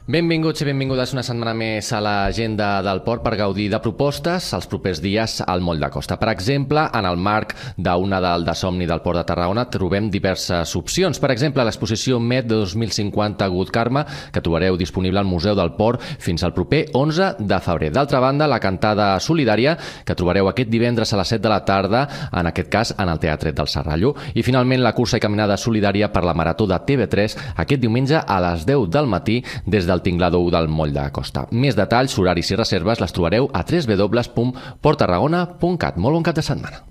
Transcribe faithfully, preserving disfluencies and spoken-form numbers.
Benvinguts i benvingudes una setmana més a l'agenda del port per gaudir de propostes els propers dies al Moll de Costa. Per exemple, en el marc d'una del de somni del Port de Tarragona trobem diverses opcions. Per exemple, l'exposició M E D dos mil cinquanta Good Karma, que trobareu disponible al Museu del Port fins al proper onze de febrer. D'altra banda, la cantada solidària, que trobareu aquest divendres a les set de la tarda, en aquest cas en el Teatret del Serrallo. I finalment, la cursa i caminada solidària per la Marató de T V tres aquest diumenge a les deu del matí des del Tinglador u del Moll de Costa. Més detalls, horaris i reserves les trobareu a w w w punt port tarragona punt cat. Molt bon cap de setmana.